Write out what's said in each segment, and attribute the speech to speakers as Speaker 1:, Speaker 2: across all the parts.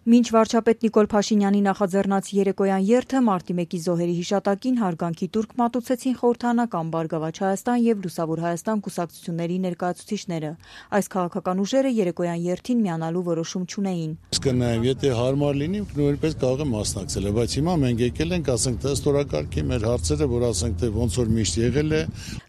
Speaker 1: Մինչ վարչապետ Նիկոլ Փաշինյանի նախաձեռնած երեկոյան երթը մարտի 1-ի զոհերի հիշատակին հարգանքի տուրք մատուցեցին Խորհրդարանական, Բարգավաճ Հայաստան եւ Լուսավոր Հայաստան կուսակցությունների ներկայացուցիչները։ Այս քաղաքական ուժերը երեկոյան երթին միանալու որոշում չունեին։
Speaker 2: Կնայեմ, եթե հարմար լինի, նույնպես կարող եմ մասնակցել, բայց հիմա մենք եկել ենք, ասենք, թե ստորակարգի մեր հարցերը, որ ասենք, թե ոնց որ միշտ եղել է։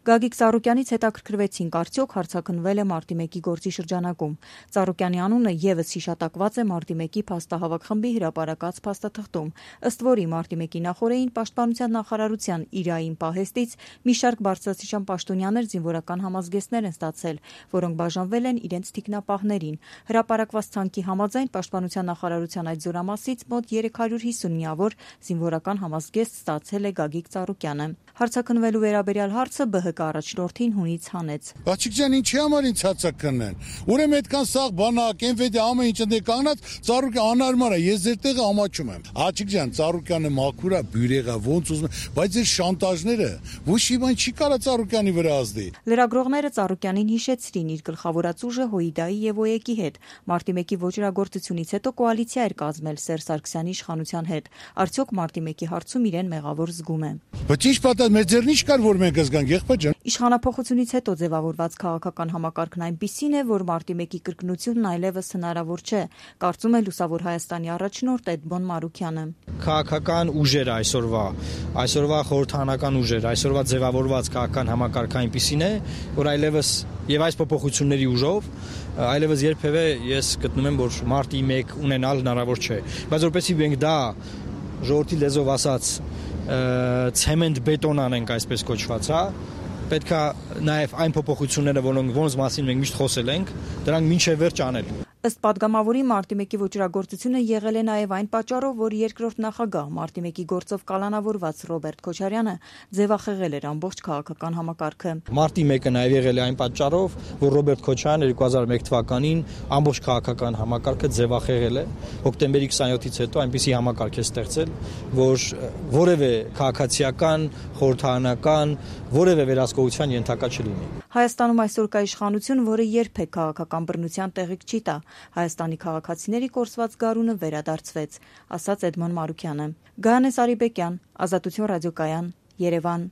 Speaker 1: Գագիկ Ծառուկյանից հետաքրքրվեցինք, արդյոք հարձակնվել է մարտի 1-ի գործի շրջանակում։ Ծառուկյանի անունը եւս հիշատակված է մարտի 1-ի փաստահավաք խմբի հրապարակած փաստաթղթում, ըստ որի մարտի 1-ի նախօրեին Պաշտպանության նախարարության իրային պահեստից մի շարք բարձրաստիճան պաշտոնյաներ զինվորական համազգեստներ են ստացել, որոնք բաժանվել են իրենց թիկնապահներին։ Հրապարակված ցանկի համաձայն Պաշտպանության նախարարության այդ զորամասից մոտ 350 միավոր զինվորական համազգեստ ստացել է Գագիկ Ծառուկյանը։ Հարցաքննվելու վերաբերյալ հարցը ԲՀԿ առաջնորդին հունից հանեց։
Speaker 2: Բաչիկ ջան, ինչի համար ինձ հարցաքննեն։ Ուրեմն այդքան սաղ բանակ, MVD ամեն ինչ ընդ կանգնած Ծառուկյան անարմար է, ես ձեր տեղը ամաչում եմ։ Բաչիկ ջան, Ծառուկյանը մաքուր է, բյուրեղա, ոնց ուզում, բայց այս շանտաժները ոչ մի բան չի կարա Ծառուկյանի վրա ազդի։
Speaker 1: Լրագրողները Ծառուկյանին հիշեցրին իր գլխավորած ուժը ՀՅԴ-ի եւ ՕԵԿ-ի հետ։ Մարտի 1-ի ոճրագործությունից հետո կոալիցիա էր կազմել Սերժ Սարգսյանի իշխանության հետ։ Արդյոք մարտի 1-ի հարցում իրեն մեղավոր զգում է։
Speaker 2: Բայց ինչ պատահ, մեր ձեռն ինչ կար, որ մենք զգանք, եղբայր ջան։
Speaker 1: Իշխանափոխությունից հետո ձևավորված քաղաքական համակարգն այնպիսին է, որ մարտի 1-ի կրկնությունն այլևս հնարավոր չէ, կարծում է Լուսավոր Հայաստանի առաջնորդ Էդմոն Մարուքյանը։
Speaker 3: Քաղաքական ուժերը այսօրվա խորհրդարանական ուժերը, այսօրվա ձևավորված քաղաքական համակարգը այնպիսին է, որ այլևս եւ այս փոփոխությունների ուժով այլևս երբևէ ես գտնում եմ, որ մարտի 1 ունենալ հնարավոր չէ, բայց որովհետեւ մենք դա ժողովրդի լեզվով ասած ցեմենտ բետոն անենք, այսպես կոչված, հա, պետքա նաև այն փոփոխությունները, որոնց մասին մենք միշտ խոսել ենք, դրանք մինչև վերջ անել։
Speaker 1: Ըստ падգամավորի մարտի 1-ի ոճրագործությունը եղել է նաև այն պատճառով, որ երկրորդ նախագահ մարտի 1-ի գործով կալանավորված Ռոբերտ Քոչարյանը ձևախեղել էր ամբողջ քաղաքական համակարգը։
Speaker 3: Մարտի 1-ը նաև եղել է այն պատճառով, որ Ռոբերտ Քոչարյանը 2001 թվականին ամբողջ քաղաքական համակարգը ձևախեղել է։ Հոկտեմբերի 27-ից հետո այնպիսի համակարգ է ստեղծել, որ որևէ քաղաքացիական, խորհրդարանական, որևէ վերահսկողության ենթակա չլինի։
Speaker 1: Հայաստանում այսօր կա իշխանություն, որը երբեք քաղաքական բռնության տեղիք չի տա։ Հայաստանի քաղաքացիների կորսված գարունը վերադարձվեց, ասաց Էդմոն Մարուքյանը։ Գայանե Սարիբեկյան, Ազատություն ռադիոկայան, Երևան։